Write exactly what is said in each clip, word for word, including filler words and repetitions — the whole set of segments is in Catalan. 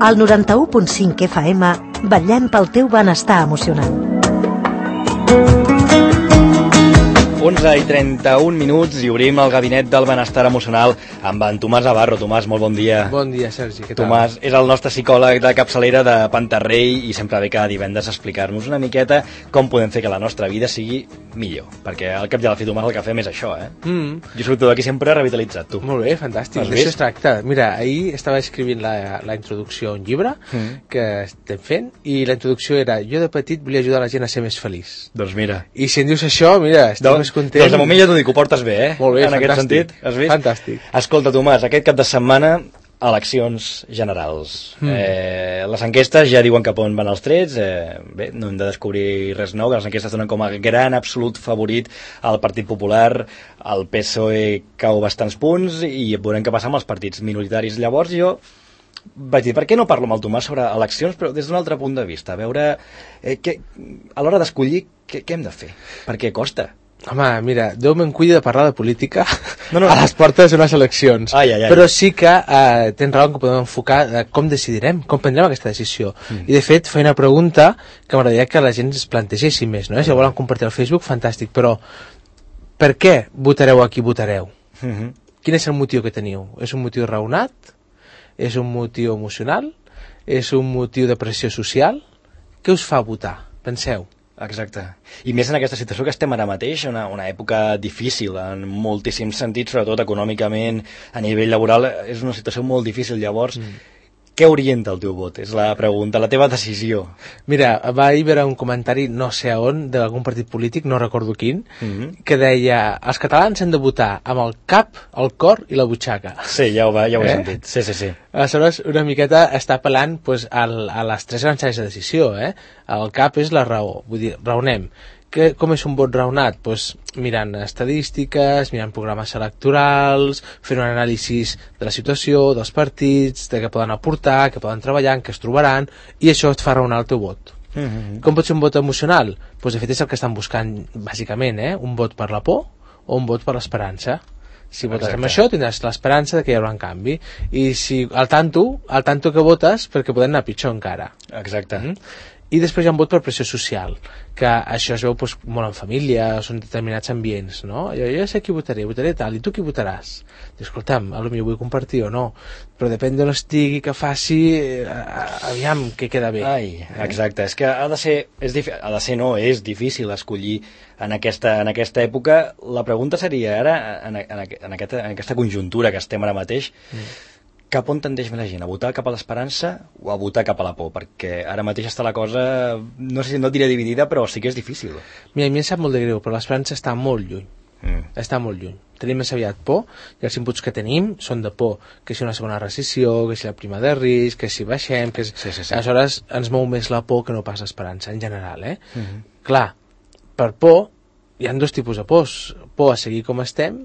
Al noranta-u punt cinc F M vetllem pel teu benestar emocional. onze i trenta-un minuts i obrim el gabinet del benestar emocional amb en Tomàs Navarro. Tomàs, molt bon dia. Bon dia, Sergi, què tal? Tomàs és el nostre psicòleg de capçalera de Pantarrei i sempre ve cada divendres a explicar-nos una miqueta com podem fer que la nostra vida sigui millor, perquè al cap i a la fi, Tomàs, el que fem és això, eh? Mm. Jo surto d'aquí sempre revitalitzat, tu. Molt bé, fantàstic, d'això es tracta. Mira, ahir estava escrivint la, la introducció a un llibre mm. que estem fent i la introducció era: jo de petit volia ajudar la gent a ser més feliç. Doncs mira. I si em dius això, mira, estic doncs, més content. Doncs de moment ja t'ho dic, ho portes bé, eh? Molt bé, en aquest sentit, has vist? Fantàstic. Escolta, Tomàs, aquest cap de setmana eleccions generals. Mm. Eh, les enquestes ja diuen cap on van els trets. Eh, bé, no hem de descobrir res nou, que les enquestes donen com a gran absolut favorit al Partit Popular. El P S O E cau bastants punts i veurem què passa amb els partits minoritaris. Llavors jo vaig dir, per què no parlo amb el Tomàs sobre eleccions, però des d'un altre punt de vista, a veure eh, que, a l'hora d'escollir què, què hem de fer, perquè costa. Home, mira, Déu me'n cuidi de parlar de política no, no. a les portes d'unes eleccions. Ai, ai, ai. Però sí que eh, tens raó que podem enfocar eh, com decidirem, com prendrem aquesta decisió. Mm. I de fet, feia una pregunta que m'agradaria que la gent es plantegés més, no? Si la volen compartir al Facebook, fantàstic, però per què votareu a qui votareu? Mm-hmm. Quin és el motiu que teniu? És un motiu raonat? És un motiu emocional? És un motiu de pressió social? Què us fa votar? Penseu. Exacte. I més en aquesta situació que estem ara mateix, una, una època difícil en moltíssims sentits, sobretot econòmicament, a nivell laboral, és una situació molt difícil. Llavors, mm. què orienta el teu vot? És la pregunta, la teva decisió. Mira, va haver un comentari, no sé on, d'algun partit polític, no recordo quin, mm-hmm. que deia: els catalans han de votar amb el cap, el cor i la butxaca. Sí, ja ho, va, ja ho he eh? sentit. Sí, sí, sí. Aleshores, una miqueta està apel·lant pues, al, a les tres grans àrees de decisió. Eh? El cap és la raó, vull dir, raonem. Que, com és un vot raonat? Pues, mirant estadístiques, mirant programes electorals, fent un anàlisi de la situació, dels partits, de què poden aportar, què poden treballar, en què es trobaran, i això et fa raonar el teu vot. Mm-hmm. Com pot ser un vot emocional? Pues, de fet, és el que estan buscant, bàsicament, eh? Un vot per la por o un vot per l'esperança. Si votes Exacte. Amb això tindràs l'esperança de que hi haurà un canvi, i si al tanto, al tanto que votes, perquè poden anar pitjor encara. Exacte. Mm? I després hi ha un vot per pressió social, que això es veu doncs, molt en família, són determinats ambients, no? Jo, jo sé qui votaré, votaré tal, i tu qui votaràs? Dius, escolta'm, potser vull compartir o no, però depèn d'on estigui, que faci, aviam, què queda bé. Ai, exacte, és que ha de ser, és difí... ha de ser no, és difícil escollir en aquesta, en aquesta època. La pregunta seria ara, en, en, en, aquesta, en aquesta conjuntura que estem ara mateix, mm. cap on tendeix més la gent? A votar cap a l'esperança o a votar cap a la por? Perquè ara mateix està la cosa, no sé si no et diré dividida, però sí que és difícil. Mira, a mi em sap molt de greu, però l'esperança està molt lluny. Mm. Està molt lluny. Tenim més aviat por, i els inputs que tenim són de por. Que si una segona recessió, que si la prima de risc, que si baixem... Que si... Sí, sí, sí. Aleshores ens mou més la por que no pas l'esperança, en general. Eh? Mm-hmm. Clar, per por hi ha dos tipus de pors. Por a seguir com estem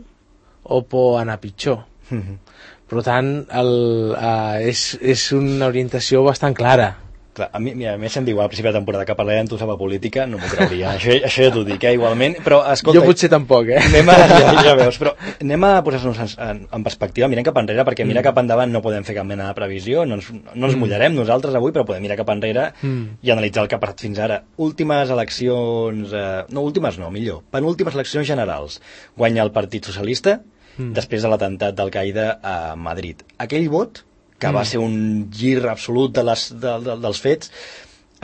o por a anar pitjor. Mm-hmm. Per tant, el, uh, és, és una orientació bastant clara. Clar, a mi, mira, a mi se'm diu al principi de temporada que parlarem tu sobre política, no m'ho creuria, això, això ja t'ho dic, eh, igualment, però escolta... Jo potser tampoc, eh? Anem a, ja, ja veus, però anem a posar-nos en, en, en perspectiva, mirem cap enrere, perquè mirar mm. cap endavant no podem fer cap mena de previsió, no ens, no ens mullarem nosaltres avui, però podem mirar cap enrere mm. i analitzar el que ha passat fins ara. Últimes eleccions... Eh, no, últimes no, millor. Penúltimes eleccions generals. Guanya el Partit Socialista, Mm. després de l'atemptat d'Al-Qaeda a Madrid. Aquell vot, que mm. va ser un gir absolut de les, de, de, dels fets,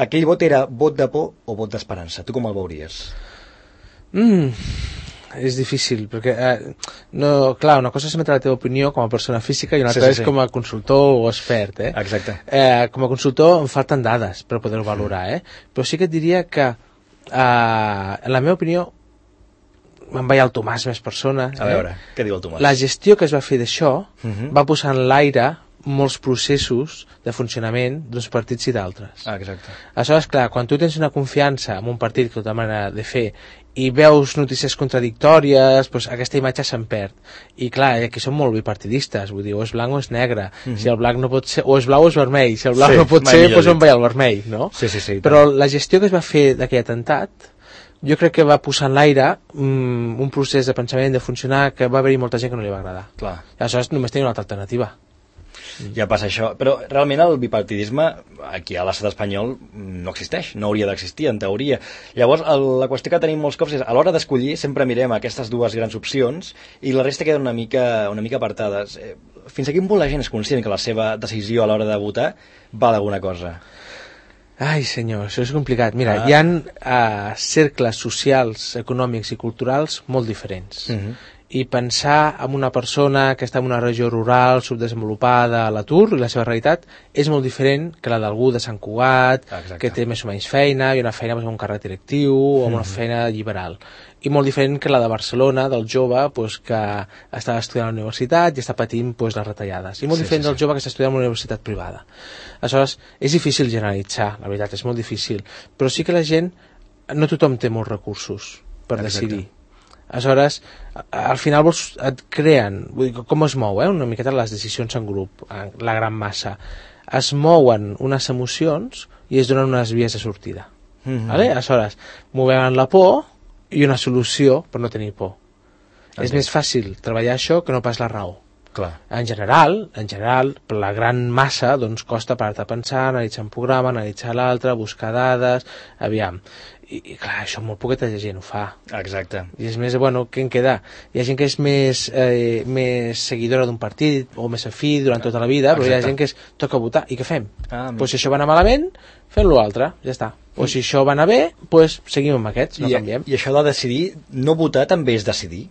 aquell vot era vot de por o vot d'esperança? Tu com el veuries? Mm, és difícil, perquè eh, no, clar, una cosa és emetre la teva opinió com a persona física i una altra sí, sí, sí. és com a consultor o expert. Eh? Exacte. Eh, com a consultor em falten dades per poder-ho valorar, eh? Però sí que et diria que, eh, en la meva opinió, me'n vaig al Tomàs més persona. A veure, eh? Què diu el Tomàs? La gestió que es va fer d'això uh-huh. va posar en l'aire molts processos de funcionament d'uns partits i d'altres. Ah, exacte. Aleshores, clar, quan tu tens una confiança en un partit que té manera de fer i veus notícies contradictòries, doncs aquesta imatge se'n perd. I clar, aquí són molt bipartidistes, vull dir, o és blanc o és negre. Uh-huh. Si el blanc no pot ser, o és blau o és vermell. Si el blanc sí, no pot ser, doncs on vaig al vermell, no? Sí, sí, sí. Però la gestió que es va fer d'aquell atemptat jo crec que va posar en l'aire um, un procés de pensament, de funcionar, que va haver-hi molta gent que no li va agradar. Clar. Aleshores només tenia una altra alternativa. mm. ja passa això. Però realment el bipartidisme aquí a l'estat espanyol no existeix, no hauria d'existir, en teoria. Llavors, el, la qüestió que tenim molts cops és a l'hora d'escollir sempre mirem aquestes dues grans opcions i la resta queden una mica, una mica apartades. Eh, fins a quin punt la gent és conscient que la seva decisió a l'hora de votar val alguna cosa? Ai, senyor, això és complicat. Mira, ah. hi ha uh, cercles socials, econòmics i culturals molt diferents. Uh-huh. I pensar en una persona que està en una regió rural, subdesenvolupada, a l'atur, i la seva realitat és molt diferent que la d'algú de Sant Cugat, Exacte. Que té més o menys feina, i una feina amb un càrrec directiu, o una uh-huh. feina liberal. I molt diferent que la de Barcelona, del jove pues, que està estudiant a la universitat i està patint pues, les retallades. I molt sí, diferent sí, del sí. jove que està estudiant a una universitat privada. Aleshores, és difícil generalitzar, la veritat, és molt difícil. Però sí que la gent, no tothom té molts recursos per Exacte. Decidir. Aleshores, al final vols, et creen, vull dir, com es mou, eh? Una miqueta les decisions en grup, la gran massa. Es mouen unes emocions i es donen unes vies de sortida. Mm-hmm. Vale? Aleshores, movem la por i una solució per no tenir por. Okay. És més fàcil treballar això que no pas la raó. Clar. En general, en general, per la gran massa, doncs costa parar-te a pensar, analitzar un programa, analitzar l'altre, buscar dades, aviam. I, i clar, això molt poqueta gent ho fa. Exacte. I és més, bueno, què en queda? Hi ha gent que és més, eh, més seguidora d'un partit o més afí durant tota la vida, però Exacte. Hi ha gent que es toca votar. I què fem? Ah, pues si això va anar malament, fem l'altre, ja està. O si això va anar bé, pues seguim amb aquests, no I, canviem. I això de decidir, no votar també és decidir?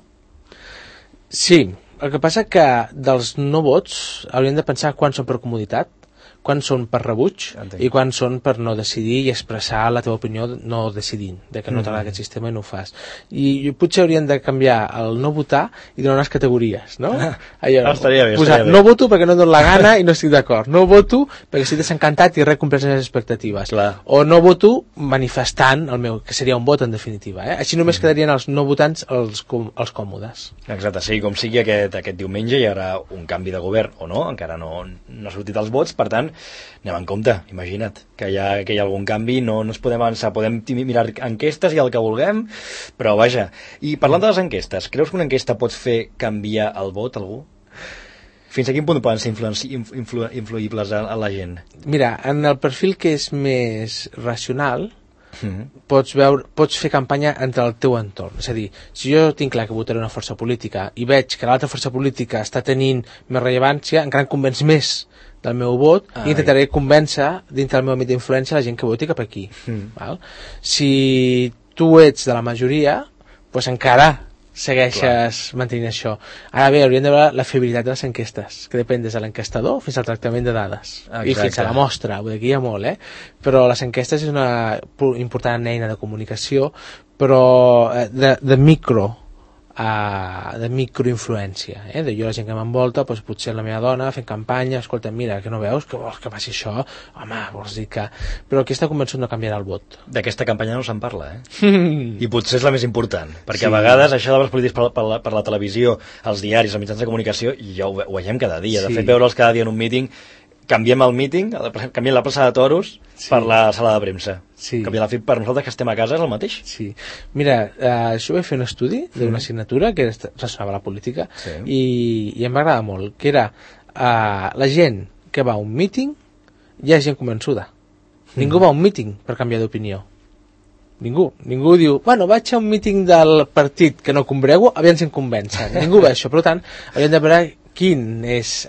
Sí, el que passa que dels no vots hauríem de pensar quan són per comoditat, quan són per rebuig Entenc. I quan són per no decidir i expressar la teva opinió no decidint, de que no t'agrada mm-hmm. aquest sistema i no ho fas. I potser haurien de canviar el no votar i donar unes categories, no? Allò, no estaria bé, posar, estaria bé. No voto perquè no em dono la gana i no estic d'acord. No voto perquè estic desencantat i res compleix les expectatives. Clar. O no voto manifestant el meu, que seria un vot en definitiva. Eh? Així només mm-hmm. quedarien els no votants els, com, els còmodes. Exacte, sí, com sigui aquest, aquest diumenge hi haurà un canvi de govern o no, encara no, no ha sortit els vots, per tant anem en compte, imagina't que hi ha, que hi ha algun canvi, no, no es podem avançar, podem mirar enquestes i el que vulguem, però vaja. I parlant de les enquestes, creus que una enquesta pot fer canviar el vot a algú? Fins a quin punt poden ser influenci, influ, influïbles a, a la gent? Mira, en el perfil que és més racional, Mm-hmm. Pots, veure, pots fer campanya entre el teu entorn. És a dir, si jo tinc clar que votaré una força política i veig que l'altra força política està tenint més rellevància, encara em convenç més del meu vot ah, i intentaré convèncer dintre del meu àmbit d'influència la gent que voti cap aquí. Mm. Val? Si tu ets de la majoria, doncs encara segueixes Clar. mantenint això. Ara bé, hauríem de veure la fiabilitat de les enquestes, que depèn des de l'enquestador fins al tractament de dades. Exacte. I fins a la mostra, vull dir que hi ha molt, eh? Però les enquestes és una important eina de comunicació, però de, de micro Uh, de microinfluència, eh? De jo la gent que m'envolta, doncs potser la meva dona fent campanya, escolta, mira, que no veus que vols que passi això? Home, vols dir que... Però aquesta convençut no canviarà el vot. D'aquesta campanya no se'n parla, eh? I potser és la més important, perquè sí. a vegades això de les polítiques per, per, la, per la televisió, els diaris, els mitjans de comunicació, ja ho, ho veiem cada dia. Sí. De fet, veure'ls cada dia en un míting, canviem el míting, canviem la plaça de toros sí. per la sala de premsa. Sí. Canviar la F I P per nosaltres que estem a casa és el mateix. Sí. Mira, uh, això vaig fer un estudi d'una mm. assignatura que relacionava la política sí. i, i em va agradar molt, que era uh, la gent que va a un míting hi ha gent convençuda. Mm. Ningú va a un míting per canviar d'opinió. Ningú. Ningú diu, bueno, vaig a un míting del partit que no combrego, aviam si em convencen. Ningú va això. Per tant, hauríem de veure quin és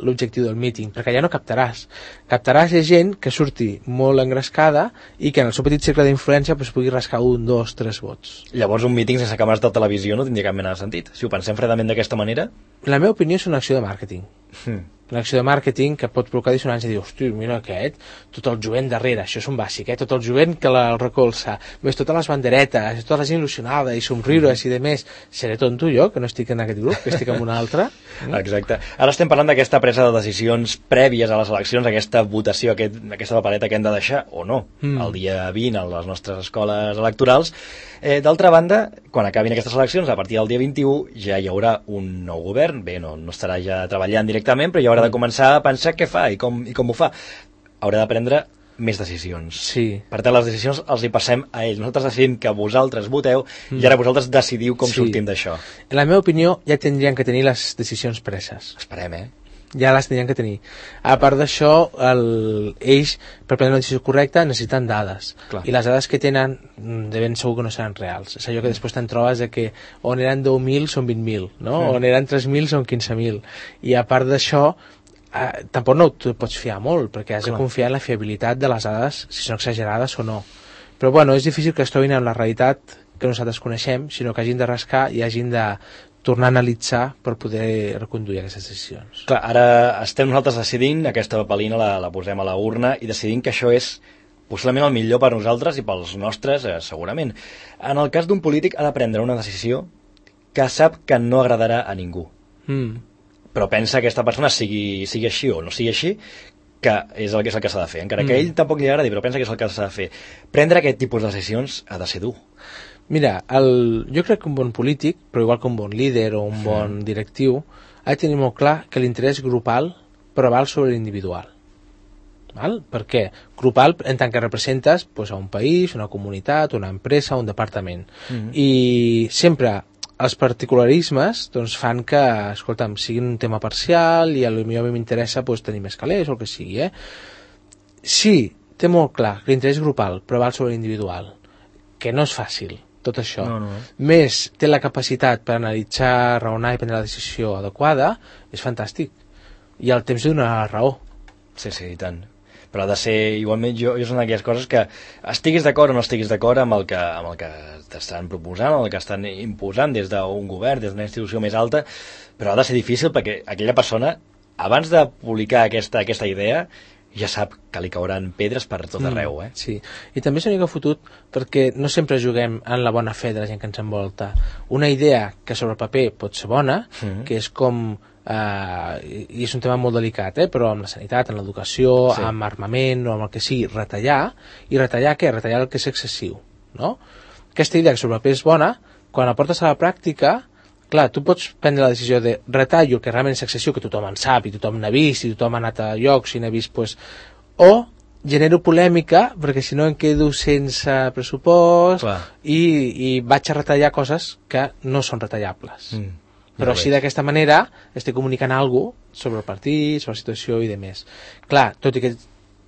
l'objectiu del míting, perquè ja no captaràs. Captaràs gent que surti molt engrescada i que en el seu petit cercle d'influència pues, pugui rascar un, dos, tres vots. Llavors un míting sense càmeres de televisió no tindria cap mena de sentit. Si ho pensem fredament d'aquesta manera... La meva opinió és una acció de màrqueting. Hmm. Una acció de màrqueting que pot provocar dissonància i dir, hosti, mira aquest, tot el jovent darrere, això és un bàsic, eh? Tot el jovent que el recolza, més totes les banderetes, tota la gent il·lusionada i somriures i de més. Seré tonto jo, que no estic en aquest grup, que estic en un altre? Mm? Exacte. Ara estem parlant d'aquesta presa de decisions prèvies a les eleccions, aquesta votació, aquest, aquesta papereta que hem de deixar, o no, mm. el dia vint a les nostres escoles electorals. Eh, D'altra banda, quan acabin aquestes eleccions, a partir del dia vint-i-u ja hi haurà un nou govern, bé, no, no estarà ja treballant directament, però ja haurà de començar a pensar què fa i com, i com ho fa. Haurà de prendre més decisions. Sí. Per tant, les decisions els hi passem a ells. Nosaltres decidim que vosaltres voteu mm. i ara vosaltres decidiu com sí. sortim d'això. En la meva opinió, ja tindrien que tenir les decisions preses. Esperem, eh? ja les tenien que tenir. A part d'això, el, ells, per prendre una decisió correcta, necessiten dades. Clar. I les dades que tenen, de ben segur que no seran reals. És allò que després te'n trobes de que on eren deu mil són vint mil, no? Mm. On eren tres mil són quinze mil. I a part d'això, eh, tampoc no t'ho pots fiar molt, perquè has Clar. de confiar en la fiabilitat de les dades, si són exagerades o no. Però bueno, és difícil que es trobin en la realitat que nosaltres coneixem, sinó que hagin de rascar i hagin de tornar a analitzar per poder reconduir aquestes decisions. Clar, ara estem nosaltres decidint, aquesta papelina la, la posem a la urna i decidint que això és possiblement el millor per nosaltres i pels nostres, eh, segurament. En el cas d'un polític ha de prendre una decisió que sap que no agradarà a ningú. Mm. Però pensa que aquesta persona sigui, sigui així o no sigui així, que és el que és el que s'ha de fer. Encara que Mm. a ell tampoc li agradi, però pensa que és el que s'ha de fer. Prendre aquest tipus de decisions ha de ser dur. Mira, el, jo crec que un bon polític, però igual que un bon líder o un bon directiu, ha de tenir molt clar que l'interès grupal preval sobre l'individual. Val? Per què? Grupal en tant que representes pues, a un país, una comunitat, una empresa, un departament. Mm-hmm. I sempre els particularismes doncs, fan que, escolta'm, siguin un tema parcial i a lo millor a mi m'interessa pues, tenir més calés o el que sigui. Eh? Sí, té molt clar que l'interès grupal preval sobre l'individual, que no és fàcil, tot això. No, no. Més té la capacitat per analitzar, raonar i prendre la decisió adequada, és fantàstic. I el temps li donarà la raó. Sí, sí, i tant. Però ha de ser, igualment, jo, jo són d'aquelles coses que estiguis d'acord o no estiguis d'acord amb el que, amb el que t'estan proposant, amb el que estan imposant des d'un govern, des d'una institució més alta, però ha de ser difícil perquè aquella persona, abans de publicar aquesta, aquesta idea, ja sap que li cauran pedres per tot arreu, eh? Mm, sí, i també és una mica fotut perquè no sempre juguem en la bona fe de la gent que ens envolta. Una idea que sobre el paper pot ser bona, mm-hmm. que és com... Uh, i és un tema molt delicat, eh? Però amb la sanitat, en l'educació, sí. amb armament o amb el que sigui, retallar. I retallar què? Retallar el que és excessiu, no? Aquesta idea que sobre el paper és bona, quan la portes a la pràctica, clar, tu pots prendre la decisió de retallo el que realment és excessiu, que tothom en sap i tothom n'ha vist i tothom ha anat a llocs i n'ha vist, pues, o genero polèmica perquè si no em quedo sense pressupost i, i vaig a retallar coses que no són retallables. Mm. Però així d'aquesta manera estic comunicant alguna cosa sobre el partit, sobre la situació i demés. Clar, tot i que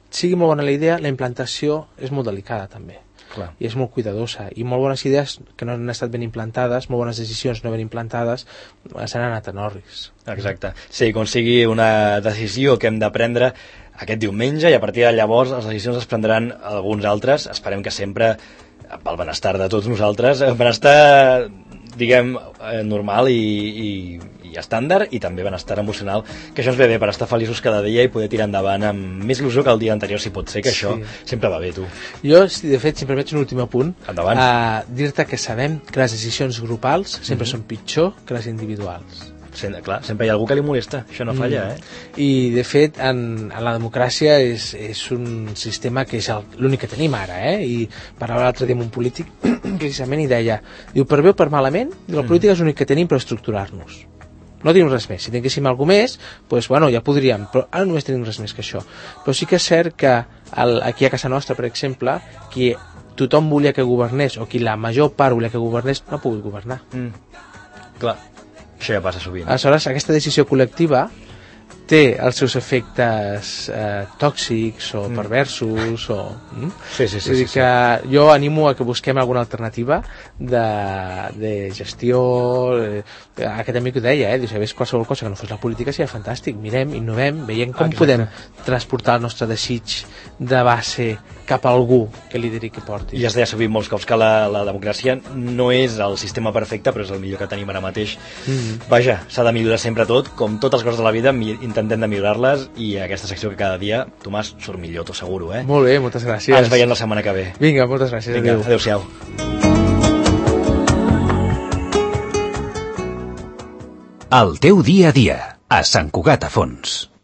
sigui molt bona la idea, la implantació és molt delicada també. Clar. I és molt cuidadosa. I molt bones idees que no han estat ben implantades, molt bones decisions no ben implantades, s'han anat en orris. Exacte. Sí, com sigui una decisió que hem de prendre aquest diumenge i a partir de llavors les decisions es prendran alguns altres. Esperem que sempre pel benestar de tots nosaltres, el benestar diguem, eh, normal i, i, i estàndard i també benestar emocional, que això ens ve bé per estar feliços cada dia i poder tirar endavant amb més il·lusió que el dia anterior, si pot ser, que això sí. sempre va bé, tu. Jo, de fet, si em permets un últim apunt, endavant. A dir-te que sabem que les decisions grupals sempre mm-hmm. són pitjor que les individuals. Sí, clar, sempre hi ha algú que li molesta, això no falla, eh? I, de fet, en, en la democràcia és, és un sistema que és l'únic que tenim ara, eh? I parlava l'altre dia amb un polític, precisament, i deia, diu, per bé o per malament, diu, la política és l'únic que tenim per estructurar-nos. No tenim res més. Si tinguéssim alguna més, doncs, bueno, ja podríem, però ara només tenim res més que això. Però sí que és cert que el, aquí a casa nostra, per exemple, qui tothom volia que governés, o qui la major part volia que governés, no ha pogut governar. Mm. Clar. Això ja passa sovint. Aleshores, aquesta decisió col·lectiva té els seus efectes eh, tòxics o mm. perversos o... Mm? Sí, sí, sí. Vull dir sí, que sí. jo animo a que busquem alguna alternativa de, de gestió... Eh, aquest amic ho deia, eh? Diu, si hi hagués qualsevol cosa que no fos la política seria fantàstic. Mirem, innovem, veiem com Exacte. podem transportar el nostre desig de base cap a algú que lideri, que porti. I has deia sovint molts cops que la, la democràcia no és el sistema perfecte, però és el millor que tenim ara mateix. Mm-hmm. Vaja, s'ha de millorar sempre tot, com totes les coses de la vida, intentem de millorar-les, i aquesta secció que cada dia, Tomàs, surt millor, t'ho asseguro, eh? Molt bé, moltes gràcies. Ens veiem la setmana que ve. Vinga, moltes gràcies. Vinga, adéu. Adéu-siau. El teu dia a dia, a Sant Cugat a Fons.